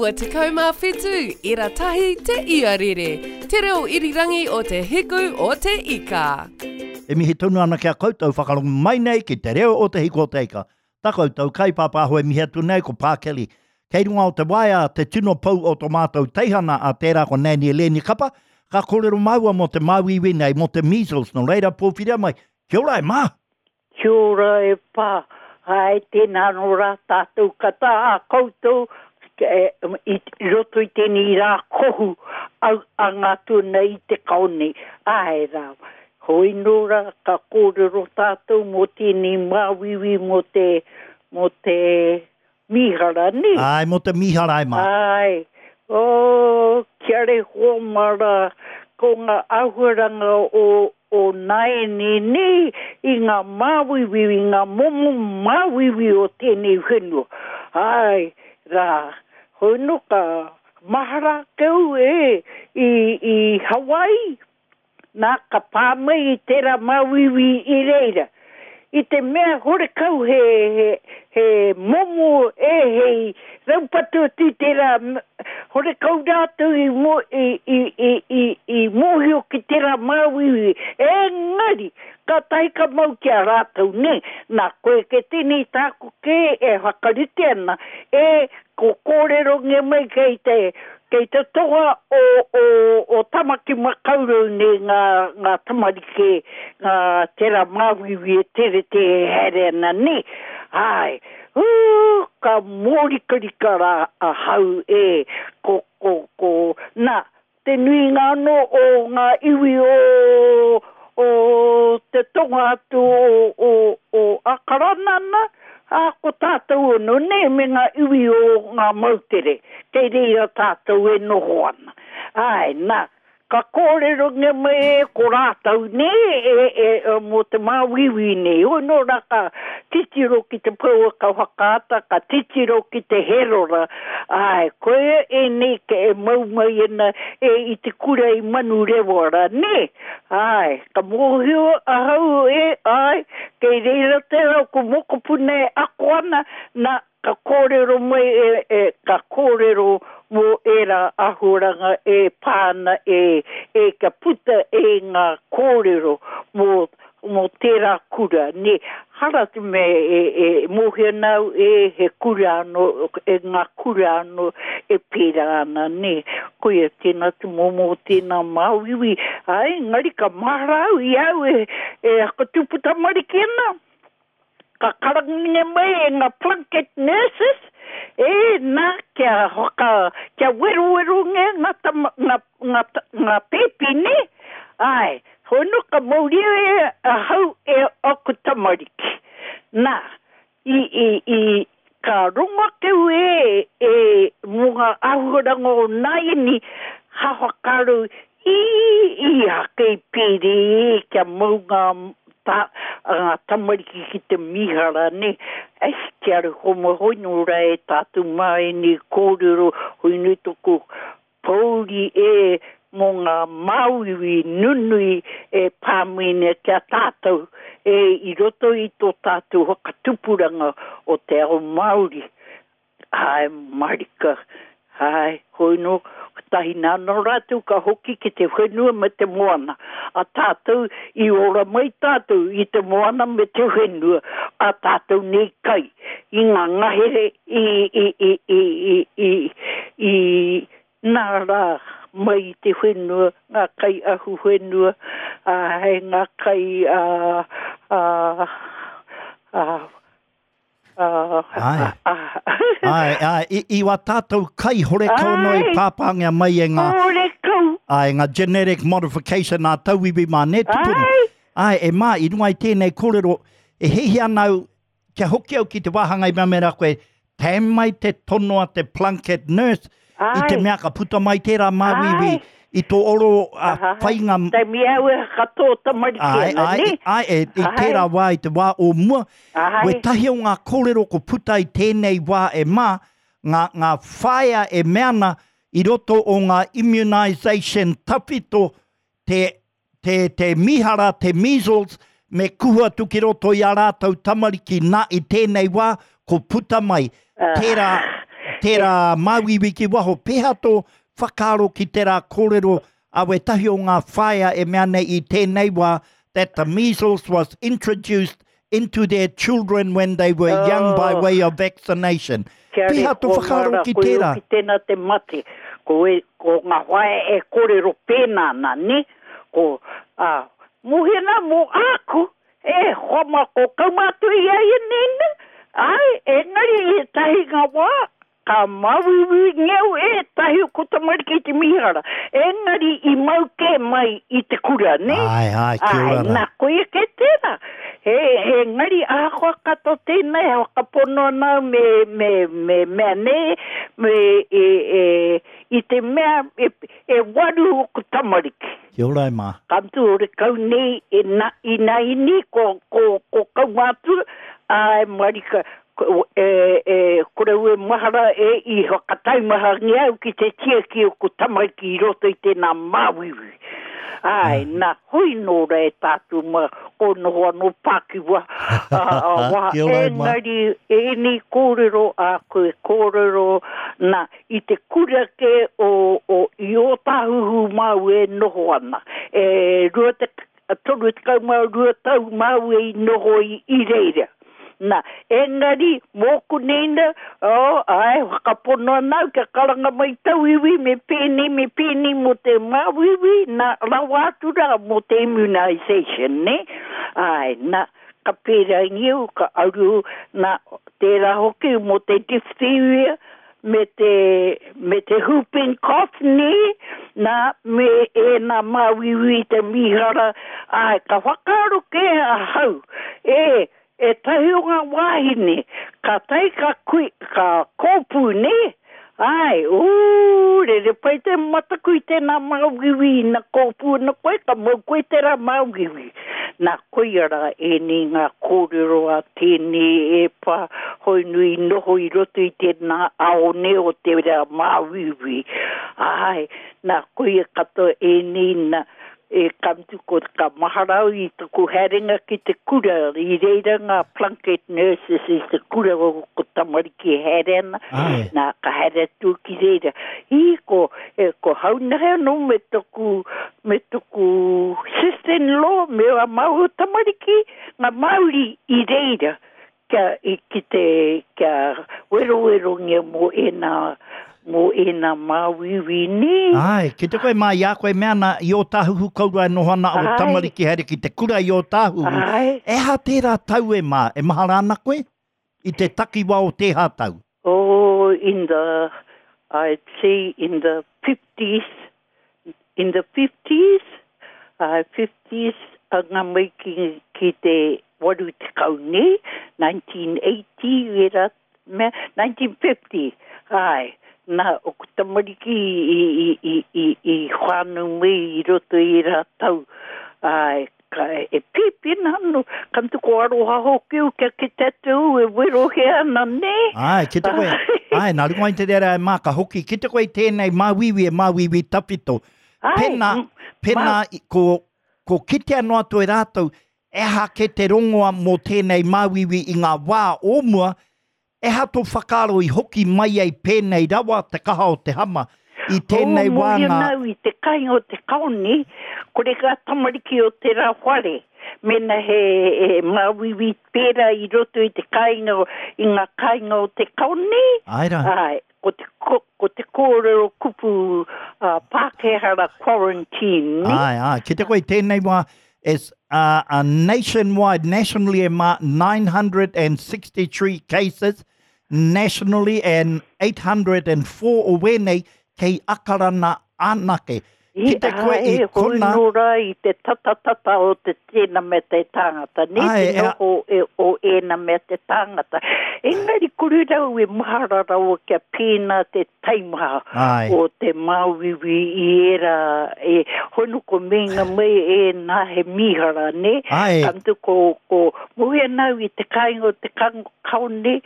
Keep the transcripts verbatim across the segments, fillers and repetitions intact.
Iwa tekau mā whitu, ira tahi te iarere, te reo irirangi o te hiku o te ika. E mihi tonu ana ki a koutou whakarongo mai nei ki te reo o te hiku o te ika. Ta koutou kaipāpāho e mihi atu nei ko Pā Kelly. Kei runga o te waea te tino pou o to mātou teihana a tērā ko Nanny Eleni Kapa, ka kōrero māua mō te māuiui nei, mō te measles, nō reira pōwhiria mai. Kia ora e Mā! Kia ora e Pā! Āe, tēnā anō rā tātou kata a koutou i roto i tēnei rā kohu au a ngā tuna i te kao nei. Āe rā, hoi nō rā ka kōrero tātou mō tēnei māuiui mō te, mō te mīhara, nē? Āe, mō te mīhara e Mā. Āe. Oh, kia rehoa mā rā, ko ngā āhuaranga o, o nāianei nei i ngā māuiui, i ngā momo māuiui o tēnei whenua. Āe rā, hoi nō ka mahara ake au e, i, i Hawaii, Nā, ka pā mai i tērā māuiui i reira. I te mea horekau he, he, he momo e hei raupatu atu i tērā, horekau rātou i, mō, i, i, i, i, i mōhio ki tērā māuiui. Engari, kātahi ka mau ki a rātou, nē. Nā, koe kē tēnei tāku kē e whakarite ana, e, ko kōrerongia mai kei te, Kei te tonga o, o, o Tamaki Makaurau nei ngā, ngā tamariki, ngā tera māuiui e terete e haere ana nei. Āe, ū, ka mōrikarika rā ahau e, ko, ko, ko, nā, te nuinga anō o ngā iwi o, o te tonga atu o, o, o Akarana nā, Ā, ko tātou anō nei me ngā iwi o ngā moutere, kei reira tātou e noho ana. Āe, nā, ka kōrerongia mai e ko rātou nei e, e, e, mō te māuiui nei. Hoi nō rā ka titiro ki te pouaka whakaata, ka titiro ki te Herora, āe, koia ēnei ke e mau mai ana e i te kura i Manurewa rā, nē? Āe, ka mōhio ahau e, āe, kei reira tērā o ku mokopuna e ako ana, nā, ka kōrero mai e, e, ka kōrero mō ērā āhuaranga e pā ana e, e, kia puta e ngā kōrero mō mō tērā kura, nē, hara te mea e, e mōhio ana au e he kura anō, e ngā kura anō e pērā ana, nē. Koia tēnā te momo o tēnā māuiui, āe, engari ka mahara au i a au e, e whakatupu tamariki ana, ka karangingia mai e ngā Plunket nurses, e, nā, kia whaka, kia werowerongia ngā tama, ngā, ngā, ngā pēpi, nē, āe, Hono ka mauria e ahau e aku tamariki. Na, i, i, i, ka rongo ake au e, e, mo nga ahuaranga o naiani, ha whakaaro i, i ake i pere e kia mau nga, ta, nga tamariki ki te mihara, ne. Ei, kia aru hoi no ra e tatou ma enei korero, hoi no toku Pōuri e mō ngā māuiui nunui e pā mai nei ki a tātou e i roto i tō tātou whakatupuranga o te ao Māori. Āe marika, āe, hoi nō, kotahi nā nō rātou ka hoki ki te whenua me te moana. A tātou, i ora mai tātou i te moana me te whenua, a tātou nei kai i ngā ngahere i, i, i, i, i, i, i, Nā rā, mai i te whenua, ngā kai ahuwhenua, ā, hei ngā kai ā, ā, ā, ā, Āe. ā. Āe, āe, i, i wā tātou kai horekau noa i Āe. pāpāngia mai e ngā, Horekau. āe, ngā genetic modification ā tauiwi mā, nē, tupuna? Āe. Āe, e mā, i runga i tēnei kōrero, e hiahia ana au, kia hoki au ki te wāhanga i mea mai rā koe, Tam mai te tono a te Plunket Nurse i te mea ka puta mai tērā māuiui i tō oro whainga. Taimi au e katoa tamariki ana, nē? Āe, āe, i tērā wā, i te wā o mua, wētahi o ngā kōrero ko puta i tēnei wā e mā, ngā, ngā whaea e mea ana i roto o ngā immunisation tawhito, te te, te mihara, te measles, me kuhu atu ki roto i a rātou tamariki, nā, i tēnei wā, ko puta mai, tērā tērā māuiui ki waho. Pēhea tō whakaaro ki tērā kōrero a wētahi o ngā whaea e mea nei i tēnei wā that the measles was introduced into their children when they were young by Oh. way of vaccination. Kia Pēhea tō reko whakaaro mara, ki koe tērā? hoki tēnā te mate. Ko, e, ko ngā whaea e kōrero pēnā ana, ne? Ko, ā, mōhena mō āku, e hoa mā ko kaumātua i a ia nēna. Ai, engari e tahi ngā wā, ka māuiui ngeu e tahi o ko tamariki i te mihara. Engari i mau kē mai i te kura, ne? Ai, ai, kia Ai, ora rā. nā, koia kē tērā. He, he ngari ahakoa katoa tēnei, he whakapono ana au me, me, me mea nē, me e, e, i te mea e, e waru o ko tamariki. Kia ora e mā. Ka mutu o rekau nei e na, i nā ini ko, ko, ko kaumātua, ai marika, ko, e, e, kore ue mahara e i whakataumahangia au ki te tiaki o ko tamariki i roto i tēnā māuiui. Ai, nā, hoi nō rā e tātou ma, ko noho anō pākiwa, a, a, wā, Kia ora e mā. engari, ēnei kōrero a koe kōrero, nā, i te kura ke o, o, i Ōtāhuhu māu e noho ana. E, rua te, toru tekau mā rua tau māu e i noho i, i reira. Nā, engari, mōku neina, oh, ai, whakapono ana au kia karanga mai tauiwi, me pēnei, me pēnei mō te māuiui, nā, rawa atu rā mō te immunization, ne? Ai, nā, ka pērā ngiu, ka aru, nā, tērā hoki mō te diphtheria, me te, me te whooping cough, ne? Nā, me e nā māuiui te mihara, ai, ka whakaaro kē ahau, e, e tahi o ngā wāhine, ka tai ka kui, ka kōpū, ne? Ai, ū, rere pai te mataku i tēnā māuiui, na kōpū na koe, ka mau koe tērā māuiui. Nā koia rā ēnei ngā kōrero a tēnei e pā hoi nui noho i roto i tēnā aone o te rā māuiui. Ai, nā koia katoa ēnei nā, e ka mutu ko ka mahara au i taku haerenga ki te kura, i reira ngā Plunket nurses i te kura o ko tamariki e haere ana, Ai. nā ka haere atu ki reira. I ko, e, ko haunahe anō me taku, me taku sister-in-law, me a māua tamariki, ngā Māori i reira, kia, i, ki te, kia werowerongia mō ēnā, mō ēnā māuiui nē. Ai, ki te koe mā i a koe mea ana i Ōtāhuhu kaurua e noho ana o Ai. tamariki haere ki te kura i Ōtāhuhu. Ai. E ha tērā tau e mā, e mahara ana koe? I te takiwa o tēhā tau? Oh, in the, I'd say in the fifties, in the fifties, uh, fifties, a ngā mai ki, ki te waru tekau nei, nineteen eighty, era, mea, nineteen fifty, ai, nā, o ko tamariki i, i, i, i, i whānau mai i roto i rā tau, ai, ka, e pīpina anō, ka mutu ko aroha hoki au kia ki te atu e werohe ana, nē? Ai, ki te koe, ai, nā runga i te rera e mā ka hoki, ki te koe tēnei māuiui e māuiui tawhito. Ai, Pēnā, mm, pēnā i, ko, ko kitea noa atu e rātou, e ha ke te rongoa mō tēnei māuiui i ngā wā o mua, e ha tō whakaaro i hoki mai ai pēnei rawa te kaha o te hama. I tēnei Oh, wā mōhio ngā nau i te kāinga o te kaoni, kore ngā tamariki o te rā whare. Mena he, he māuiui pērā i roto i te kāinga, i ngā kāinga o te kaoni. Ai rā. Ai, ko te, ko, ko te kōrero kupu uh, Pākehā rā quarantine, ne? Ai, ai. Ki te koe tēnei wā, is uh, a nationwide, nationally e mā nine hundred and sixty-three cases, nationally and eight hundred and four o wēnei kei Akarana anake. Ki te koe i Ai, hoi kona nō rā i te tatatata o te tēnā me te tāngata, ne Ai, te e a noho e, o ēnā me te tāngata. Engari kore rau e mahara rawa kia pēnā te taimaha Ai. o te māuiui i era, e, hono ko meinga mai e nā he mihara, ne? Ai. Ka mutu ko, ko mohi anau i te kāinga o te kaone,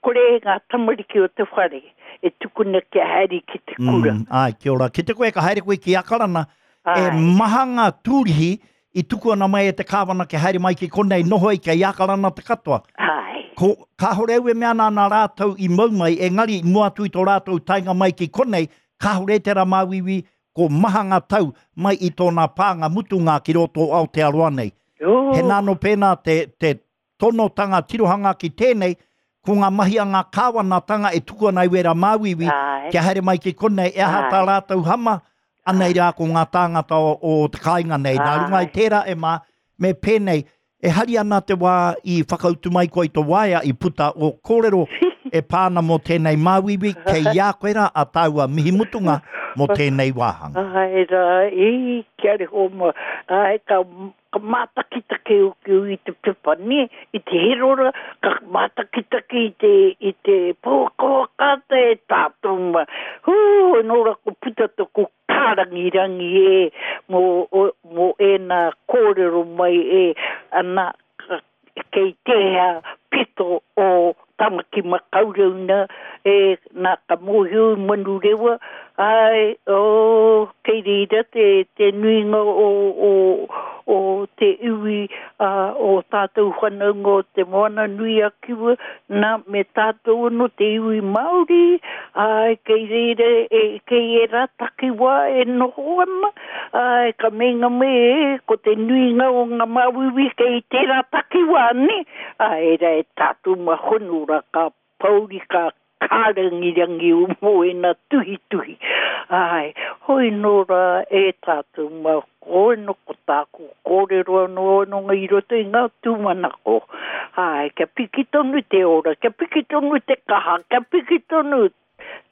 kore ngā tamariki o te whare e tukuna kia haere ki te kura. Mm, ai, kia ora. Ki te koe ka haere koe ki Akarana, e Ai. maha ngā tūrihi i tuku ana mai e te kāwana kia haere mai ki konei noho i kei Akarana te katoa. Ai. Ko, kāhore au e mea ana nā rātou i mau mai, engari i mua atu i tō rātou taenga mai ki konei, kāhore tērā māuiui, ko maha ngā tau mai i tōna pānga mutunga ki roto o Aotearoa nei. Oh. He nā no pēnā te, te tonotanga tirohanga ki tēnei, ko ngā mahi a ngā kāwanatanga e tuku ana i wērā māuiui, Ai. kia haere mai ki konei, e aha tā Ai. rātou hama, anei rā ko ngā tāngata o, o te kāinga nei. Nā runga i Ai. tērā e mā, me pēnei, e hari ana te wā i whakautu mai koe i tō waea i puta o kōrero e pāna mō tēnei māuiui, kei ia koe rā a tāua mihi mutunga mō tēnei wāhanga. Ai rā, e, kia reho ma, ai, ka, ka mātakitaki uki i te pepa, ne, i te herora, ka mātakitaki i te, i te pōkōkata e tātou ma. Hū, nō rā ko puta tōku kārangirangi e, mō, o, mō ēnā kōrero mai e, ana, ka, kei tēhea pito o Tamaki Makaurau nā, e, nā ka mōhio i Manurewa, ai, o, kei reira te, te nuinga o, o, o te iwi uh, o tātou whanaunga o te Moana nui a Kiwa, nā me tātou anō te iwi Māori, ai, kei reira, e, kei e rā takiwā e noho ana, ai, ka meinga me e, ko te nuinga o ngā māuiui kei tērā takiwā, ne? Ai, rā e tātou mahono rā ka pauri ka kārangirangi o mō e nā tuhituhi. Ai, hoi nō rā e tātou ma koe no ko tāku kōrero anō anō i roto i ngā tūmanako. Ai, kia piki tonu te ora, kia piki tonu te kaha, kia piki tonu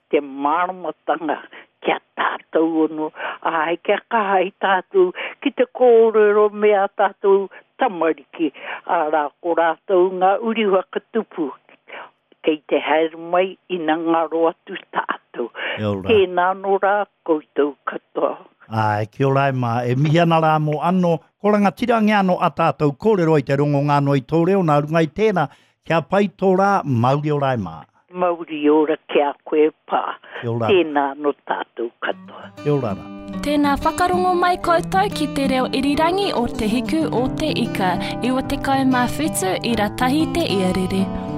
te māramatanga kia tātou anō. Ai, kia kaha i tātou ki te kōrero me a tātou tamariki. Arā, ko rātou ngā uri whakatupu. Kei te haere mai ina ngaro atu tātou. Kia ora. Tēnā nō rā koutou katoa. Ai, kia ora e mā, e mihi ana rā mō anō, ko rangatirangi anō a tātou kōrero i te rongo ngāno i tō reo, nā runga i tēnā, kia pai tō rā, mauri ora e mā. Mauri ora kia koe pā. Kia ora. Tēnā nō tātou katoa. Kia ora rā. Tēnā whakarongo mai koutou ki te reo irirangi o Te Hiku o Te Ika, iwa tekau mā whitu i ratahi te iarere.